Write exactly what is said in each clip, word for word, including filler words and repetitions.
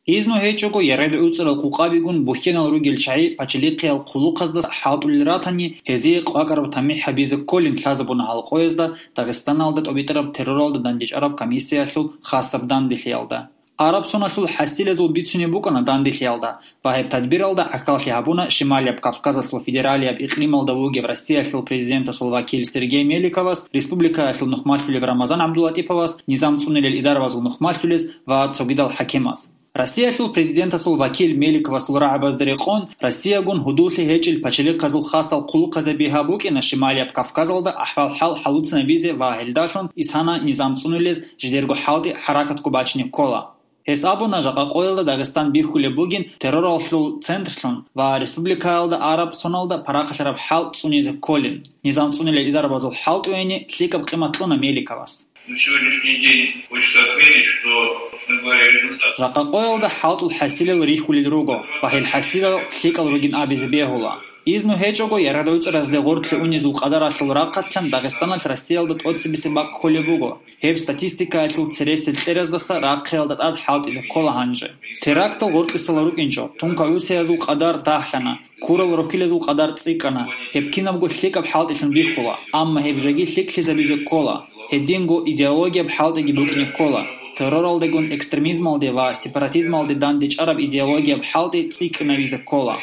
Изну гьечӀого яргъад гӀуцӀарал къукъабигун бухьенал ругел чагӀи пачалихъиял хъулухъазда хӀалтӀулел ратани, гьезие къвакӀараб тамихӀ гьабизе кколин лъазабуна гьал къоязда Дагъистаналда тӀобитӀараб терроралда дандечӀараб комиссиялъул хасаб данделъиялда. Араб соналъул хӀасилазул бицунеб букӀана данделъиялда ва гьеб тадбиралда гӀахьаллъи гьабуна Шималияб Кавказалъул федералияб икълималда вугев Россиялъул президентасул вакил Сергей Меликовас, республикаялъул нухмалъулеб Рамазан ГӀабдулатӀиповас, низам цӀунилел идарабазул нухмалъулез ва цогидал хӀакимаз. Россиялъул президентасул вакил Меликовасул рагӀабазда рекъон, Россиягун гьудуллъи гьечӀел пачалихъазул хасал хъулухъазаби гьаб букӀина Шималияб Кавказалда ахӀвал-хӀал хӀалуцинабизе ва гьелдалъун исана низам цӀунилез жидерго хӀалтӀи хӀаракатго бачине ккола. Гьес абуна, жакъа къоялда Дагъистан бихьулеб бугин терроралъул центрлъун ва республикаялда араб соналда парахалъараб хӀал цӀунизе кколин. Низам цӀунилел идарабазул хӀалтӀуяни лъикӀаб къимат кьуна Меликовас. На сегодняшний день хочется отметить, что, собственно говоря, результат. Жакъа къоялда хӀалтӀул хӀасилал рихьулел руго ва гьел хӀасилал лъикӀал ругин абизе бегьула. Изну гьечӀого, яргъад гӀуцӀаразде гъоркье унезул къадаралъул рахъалъан Дагъистаналъ Россиялда тӀоцебесеб бакӀ кколеб буго. Гьеб статистикаялъул цересел кьераздаса рахъиялда тӀад хӀалтӀизе ккола гьанже. Терактал гъоркьисала рукӀинчӀо, тункагӀусиязул къадар дагьлъана, ккурал рохьилазул къадар цӀикӀкӀана. Гьеб кинабго лъикӀаб хӀалтӀилъун бихьула, амма гьеб жеги лъикӀлъизабизе ккола. Гьединго идеологияб хӀалтӀиги букӀине ккола. Терроралдегун экстремизмалде ва сепаратизмалде дандечӀараб идеологияб хӀалтӀи цӀикӀкӀинавизе ккола.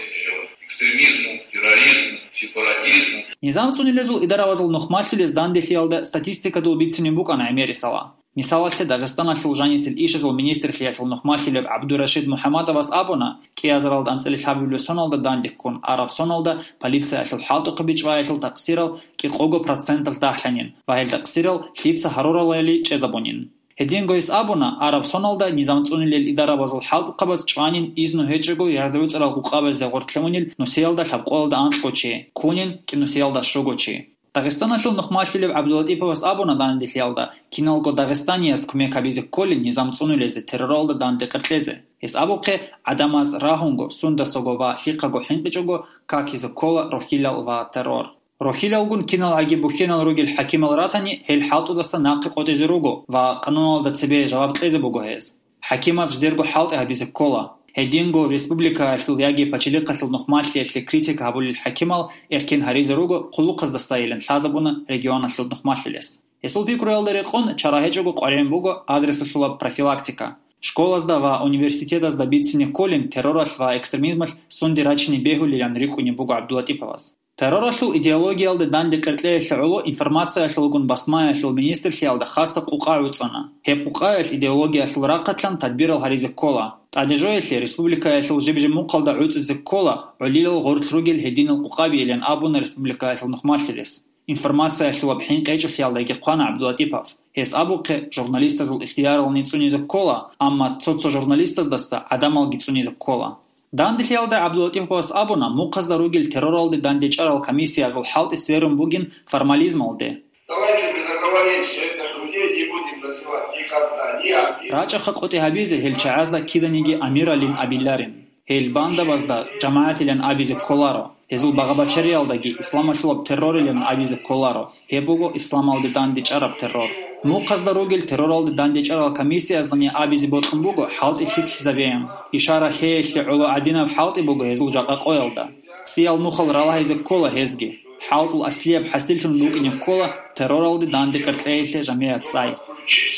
Экстремизму, терроризму, сепаратизму. Низам цӀунилезул идарабазул нухмалъулез данделъиялда статистикадул бицунеб букӀана гӀемерисала. Мисалалъе, Дагъистаналъул жанисел ишазул министрлъиялъул нухмалъулеб ГӀабдурашид МухӀаммадовас абуна, кӀиазаралда анцӀила лъабабилеб соналда дандехун араб соналда полициялъул хӀалтӀухъаби чӀваялъул такъсирал кӀикъого проценталъ дагьлъанин ва гьел такъсирал лъица гьаруралали чӀезабунин. Гьединго гьес абуна, араб соналда низам цӀунилел идарабазул хӀалтӀухъабаз чӀванин изну гьечӀого яргъад гӀуцӀарал къукъабазде гъоркье унел нусиялда лъабкъоялда анкьго чи, ккунин кӀинусиялда щуго чи. Дагъистаналъул нухмалъулеб ГӀабдулатӀиповас абуна данделъиялда, киналго дагъистанияс кумек гьабизе кколин низам цӀунулезе, терроралда данде къеркьезе. Гьес абухъе, гӀадамаз рагьунго, сундасаго ва лъихъаго хӀинкъичӀого какизе ккола рохьилал ва террор. Рохьилалгун киналгӀаги бухьенал ругел хӀакимал ратани, гьел хӀалтӀудаса нахъе къотӀизе руго ва къануналда цебе жаваб кьезе буго гьез. ХӀакимаз жидерго хӀалтӀи гьабизе ккола. Гьединго республикаялъул яги пачалихъалъул нухмалъиялъе критика гьабулел хӀакимал эркен гьаризе руго хъулухъаздасайилан лъазабуна регионалъул нухмалъулес. Гьесул пикруялда рекъон, чара гьечӀого къваригӀун буго адресалъулаб профилактика. Школазда ва университетазда бицине кколин терроралъ ва экстремизмалъ сунде рачине бегьулилан рикӀкӀунеб буго ГӀабдулатӀиповас. Терроралъул идеологиялда данде къеркьеялъе гӀоло информациялъулгун басмаялъул министрлъиялда хасаб къукъа гӀуцӀана. Гьеб къукъаялъ идеологиялъул рахъалъан тадбирал гьаризе ккола. ТӀадежоялъе республикаялъул жиб-жимухъалда гӀуцӀизе ккола гӀолилал гъорлъ ругел гьединал къукъабийилан абуна республикаялъул нухмалъулес. Информациялъулаб хӀинкъи гьечӀолъиялдаги хъвана ГӀабдулатӀипов. Гьес абухъе, журналистазул ихтиярални цӀунизе ккола, амма цо-цо журналистаздаса гӀадамалги цӀунизе ккола. Данделъиялда ГӀабдулатӀиповас абуна, мухъазда ругел терроралде дандечӀарал комиссиязул хӀалтӀи сверун бугин формализмалде. Давайте мы договоримся, этих людей не будем называть никогда ни амир. РачӀаха къотӀи гьабизе гьел чагӀазда киданиги амиралин абиларин. Гьел бандабазда жамагӀатилан абизе кколаро. Гьезул багъа-бачариялдаги исламалъулаб террорилан абизе кколаро. Гьеб буго исламалде дандечӀараб террор. Мухъазда ругел терроралде дандечӀарал комиссияздани абизе бокьун буго хӀалтӀи лъикӀлъизабеян. Ишара лъеялъе гӀоло гӀадинаб хӀалтӀи буго гьезул жакъа къоялда. ЦӀиял нухал ралагьизе ккола гьезги. ХӀалтӀул аслияб хӀасиллъун букӀине ккола терроралде данде къеркьеялъе жамигӀат цӀай.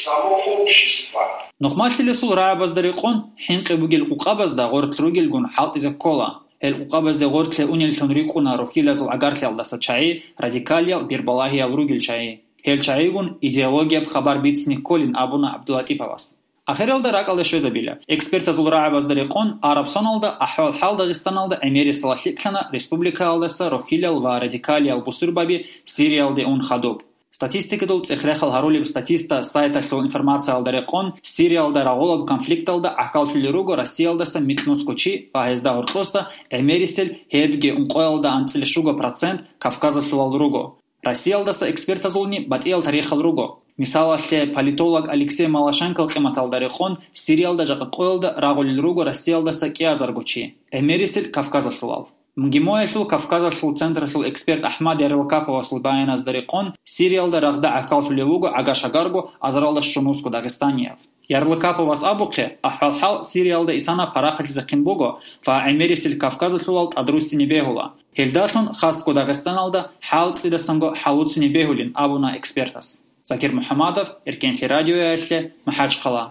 Само общество. Нухмалъулесул рагӀабазда рекъон, хӀинкъи бугел къукъабазда гъорлъ ругелгун хӀалтӀизе ккола. Гьел къукъабазде гъорлъе унеллъун рикӀкӀуна рохьилазул гӀагарлъиялдаса чагӀи, радикалиял бирбалагьиял ругел чагӀи. Гьел чагӀигун идеологияб хабар бицине кколин абуна ГӀабдулатӀиповас. Ахиралда ракӀалде щвезабила. Экспертазул рагӀабазда рекъон, араб соналда ахӀвал-хӀал Дагъистаналда гӀемерисела лъикӀлъана республикаялдаса рохьилал ва радикалиял бусурбаби Сириялде ун хадуб. Статистикадул цӀех-рехал гьарулеб Статиста сайталъул информациялда рекъон, Сириялда рагъулаб конфликталда гӀахьаллъулел руго Россиялдаса микьнусго чи ва гьезда гьоркьоса гӀемерисел гьебги ункъоялда анцӀила щуго процент Кавказалъулал руго. Россиялдаса экспертазулни батӀиял тарихал руго. Мисалалъе, политолог Алексей Малашенкол къиматалда рекъон, Сириялда жакъа къоялда рагъулел руго Россиялдаса кӀиазарго чи, гӀемерисел Кавказалъулал. МГИМОялъул Кавказалъул централъул эксперт АхӀмад Ярилкаповасул баяназда рекъон, Сириялда рагъда гӀахьаллъулев вуго гӀага-шагарго азаралда щунусго дагъистанияв. Ярлыкаповас абухъе, ахӀвал-хӀал Сириялда исана парахалъизехъин буго ва гӀемерисел Кавказалъулал тӀадруссине бегьула. Гьелдалъун хасго Дагъистаналда хӀал цӀидасанго хӀалуцине бегьулин абуна экспертас. Закир МухӀамадов, Эркенлъи радиоялъе, МахӀачхъала.